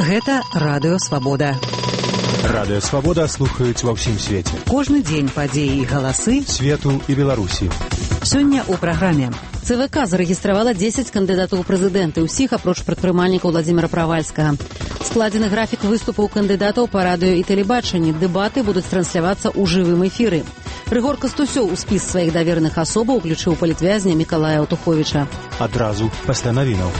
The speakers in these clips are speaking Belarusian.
Гэта Радыё Свабода. Радыё Свабода слухаюць ва ўсім свеце. Кожны дзень падзеі і галасы свету і Беларусі. Сёння ў праграме. ЦВК зарэгістравала 10 кандыдатаў у прэзідэнты, усіх апроч прадпрымальніка Владзіміра Правальскага. Складзены графік выступаў кандыдатаў па радыё і тэлебачанні. Дэбаты будуць транслявацца ў жывым эфіры. Рыгор Кастусёў у спіс сваіх давераных асобаў уключыў палітвязня Мікалая Аўтуховіча. Адразу пасля навінаў.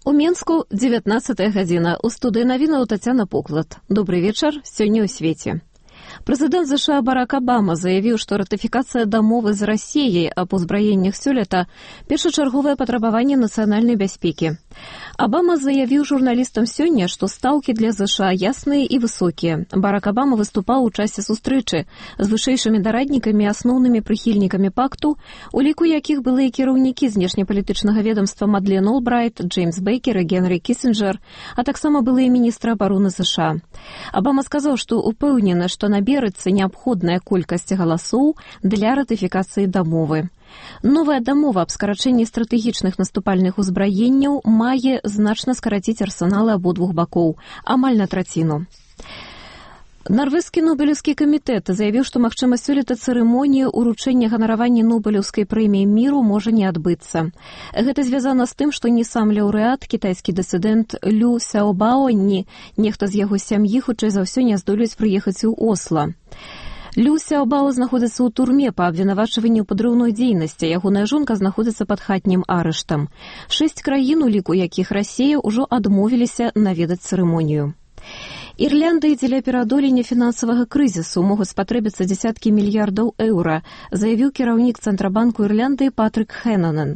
У Менску 19 гадзіна. У студыі навінаў Тацяна Поклад. Добрый вечар, сёння ў свеце. Прэзідэнт США Барак Абама заявіў, што ратыфікацыя дамовы з Расіяй аб узбраеннях сёлета – першачарговае патрабаванне нацыянальнай бяспекі. Абама заявіў журналістам сёння, што стаўкі для США ясныя і высокія. Барак Абама выступаў у часе сустрэчы з вышэйшымі дараднікамі і асноўнымі прыхільнікамі пакту, у ліку якіх былыя кіраўнікі знешнепалітычнага ведомства Мадлен Олбрайт, Джеймс Бейкер і Генрі Кісінджер, а таксама былыя міністры абароны США. Абама сказаў, што упэўнены, што наберацца неабходная колькасць галасоў для ратыфікацыі дамовы. Новая дамова аб скарачэнні стратэгічных наступальных узбраенняў мае значна скараціць арсеналы абодвух бакоў, амаль на траціну. Нарвежскі Нобелеўскі камітэт заявіў, што магчыма сёлета цырымонія ўручэння ганаравання Нобелеўскай прэміі міру можа не адбыцца. Гэта звязана з тым, што ні сам лаўрэат, кітайскі дысідэнт Лю Сяобао, ні нехта з яго сям'і хутчэй за ўсё не здолеюць прыехаць у Осла. Лю Сяобао знаходзіцца ў турме па абвінавачванні ў падрыўной дзейнасці. Ягоная жонка знаходзіцца пад хатнім арыштам. 6 краін, у ліку якіх Расія, ўжо адмовіліся наведаць цырымонію. Ірландыі дзеля пераадолення фінансавага крызісу могуць спатрэбіцца дзесяткі мільярдаў еўра, заявіў кіраўнік Цэнтрабанку Ірландыі Патрык Хэнанен.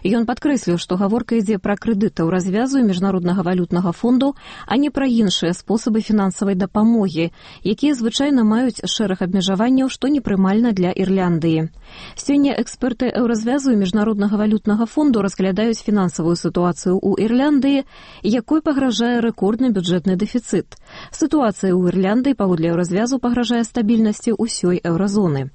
Ён падкрэсліў, што гаворка ідзе пра крэдыты ў развязу Міжнароднага валютнага фонду, а не пра іншыя спосабы фінансавай дапамогі, якія звычайна маюць шэраг абмежаванняў, што непрымальна для Ірландыі. Сёння эксперты Еўразвязу і Міжнароднага валютнага фонду разглядаюць фінансавую сітуацыю ў Ірландыі, якой пагражае рэкордны бюджэтны дэфіцыт. Сітуацыя ў Ірландыі паводле Еўразвязу пагражае стабільнасці ўсёй еўразоны.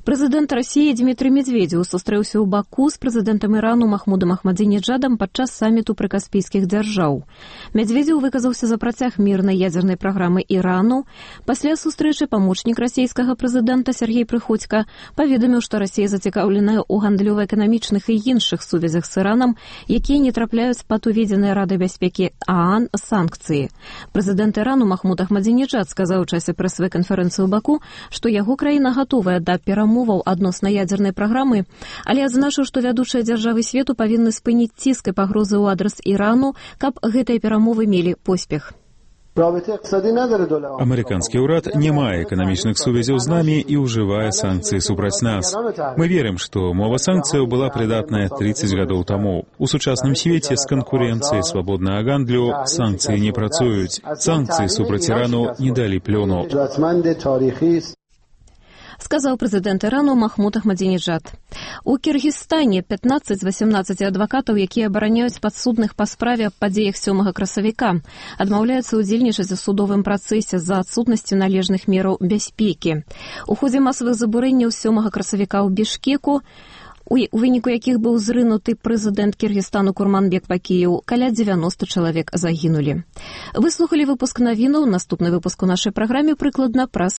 Прэзідэнт Расіі Дмітрый Медведзеў сустрэўся ў Баку з прэзідэнтам Ірану Махмудам Ахмадзінеджадам падчас саміту прыкаспійскіх дзяржаў. Медведзеў выказаўся за працяг мірнай ядзернай праграмы Ірану. Пасля сустрэчы памочнік расійскага прэзідэнта Сергей Прыходзька паведаміў, што Расія зацікаўленая ў гандлёва-эканамічных і іншых сувязях з Іранам, якія не трапляюць пад уведзеныя Радай бяспекі ААН санкцыі. Прэзідэнт Ірану Махмуд Ахмадзінеджад сказаў у часе прэсавай канферэнцыі ў Баку, што яго краіна гатовая да перамоваў адносна ядзернай праграмы, але адзначыў, што вядучыя дзяржавы свету павінны спыніць ціск і пагрозы ў адрас Ірану, каб гэтыя перамовы мелі поспех. Амерыканскі ўрад не мае эканамічных сувязяў з намі і ўжывае санкцыі супраць нас. Мы верым, што мова санкцыяў была прыдатная 30 гадоў таму. У сучасным свеце з канкурэнцыяй свабоднага гандлю санкцыі не працуюць. Санкцыі супраць Ірану не далі плёну. Сказаў прэзідэнт Ірану Махмуд Ахмадзінеджад. У Кіргізстане 15 з 18 адвакатаў, якія абараняюць падсудных па справе аб падзеях 7 красавіка, адмаўляюцца ўдзельнічаць у судовым працэсе з-за адсутнасці належных мераў бяспекі. У ходзе масавых забурэнняў 7 красавіка ў Бішкеку, у выніку якіх быў зрынуты прэзідэнт Кіргізстану Курманбек Бакіеў, каля 90 чалавек загінулі. Вы слухалі выпуск навінаў. Наступны выпуск у нашай праграме прыкладна праз